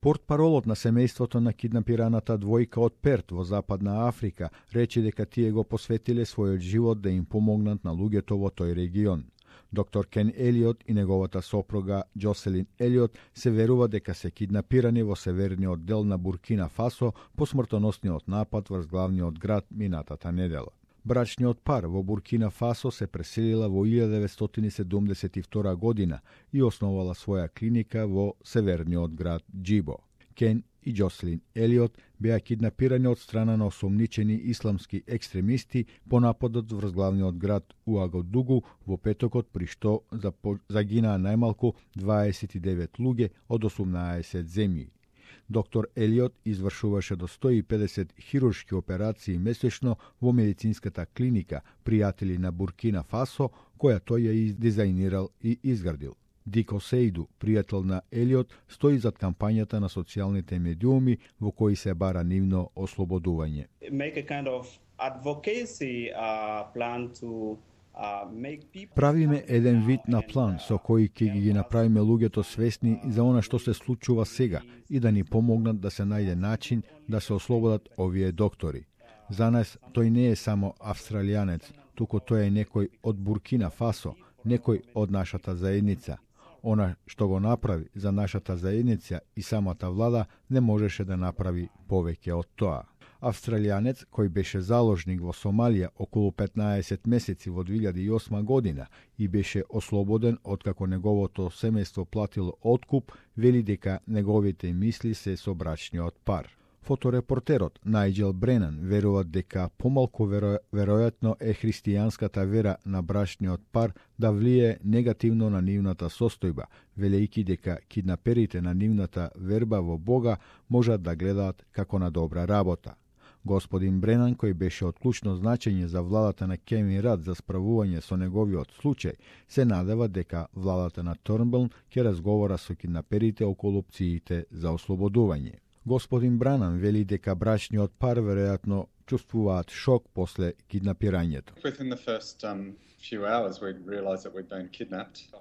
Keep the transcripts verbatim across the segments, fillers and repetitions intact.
Портпаролот на семејството на киднапираната двојка од Перт во Западна Африка рече дека тие го посветиле својот живот да им помогнат на луѓето во тој регион. Доктор Кен Елиот и неговата сопруга Джоселин Елиот се верува дека се киднапирани во северниот дел на Буркина Фасо по смртоносниот напад врз главниот град минатата недела. Брачниот пар во Буркина Фасо се преселила во илјада деветстотини седумдесет и втора година и основала своја клиника во северниот град Џибо. Кен и Джоселин Елиот беа киднапирани од страна на осомничени исламски екстремисти по нападот врз главниот град Уагадугу во петокот, при што загинаа најмалку дваесет и девет луѓе од осумнаесет земји. Доктор Елиот извршуваше до сто и педесет хируршки операции месечно во медицинската клиника Пријатели на Буркина Фасо, која тој ја дизајнирал и изградил. Дико Сейду, пријател на Елиот, стои зад кампањата на социјалните медиуми во кои се бара нивно ослободување. Kind of advocacy, uh, plan to Правиме еден вид на план со кој ќе ги направиме луѓето свесни за она што се случува сега и да ни помогнат да се најде начин да се ослободат овие доктори. За нас тој не е само австралијанец, туку тој е некој од Буркина Фасо, некој од нашата заедница. Она што го направи за нашата заедница и самата влада не можеше да направи повеќе од тоа. Австралијанец кој беше заложник во Сомалија околу петнаесет месеци во две илјади и осма година и беше ослободен откако неговото семејство платило откуп, вели дека неговите мисли се со брачниот пар. Фоторепортерот Најџел Бренан верува дека помалку веро... веројатно е христијанската вера на брачниот пар да влие негативно на нивната состојба, велејќи дека киднаперите на нивната верба во Бога можат да гледаат како на добра работа. Господин Бренан, кој беше од клучно значење за владата на Кевин Рад за справување со неговиот случај, се надева дека владата на Торнбелн ќе разговара со киднаперите околу опциите за ослободување. Господин Бранан вели дека брачниот пар веројатно чувствуваат шок после киднапирањето.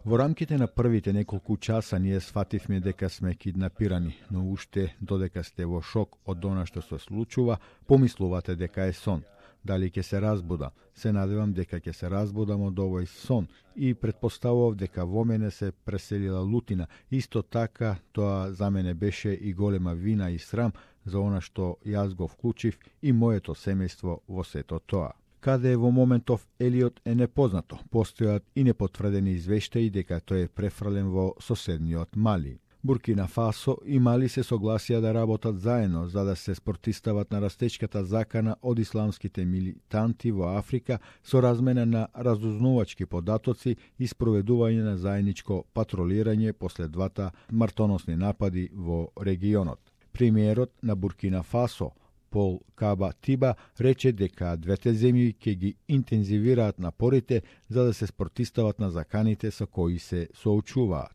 Во рамките на првите неколку часа ние сфативме дека сме киднапирани, но уште додека сте во шок од она што се случува, помислувате дека е сон. Дали ќе се разбуда? Се надевам дека ќе се разбудам од овој сон и предпоставував дека во мене се преселила лутина. Исто така, тоа за мене беше и голема вина и срам за она што јас го вклучив и моето семејство во сето тоа. Каде е во моментов Елиот е непознато. Постојат и непотврдени извештаи дека тој е префрлен во соседниот Мали. Буркина Фасо и Мали се согласија да работат заедно за да се спротистават на растечката закана од исламските милитанти во Африка со размена на разузнавачки податоци и спроведување на заедничко патролирање после двата смртоносни напади во регионот. Премиерот на Буркина Фасо Пол Каба Тиба рече дека двете земји ќе ги интензивираат напорите за да се спротистават на заканите со кои се соочуваат.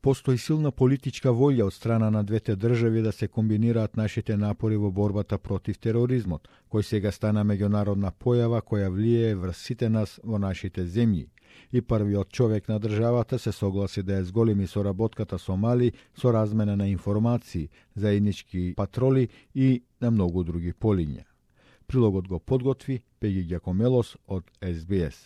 Постои силна политичка волја од страна на двете држави да се комбинираат нашите напори во борбата против тероризмот, кој сега стана меѓународна појава која влијае врз сите нас во нашите земји. И првиот човек на државата се согласи да ја зголеми соработката со Мали со размена на информации, заеднички патроли и на многу други полиња. Прилогот го подготви Пеги Ѓакомелос од Ес Би Ес.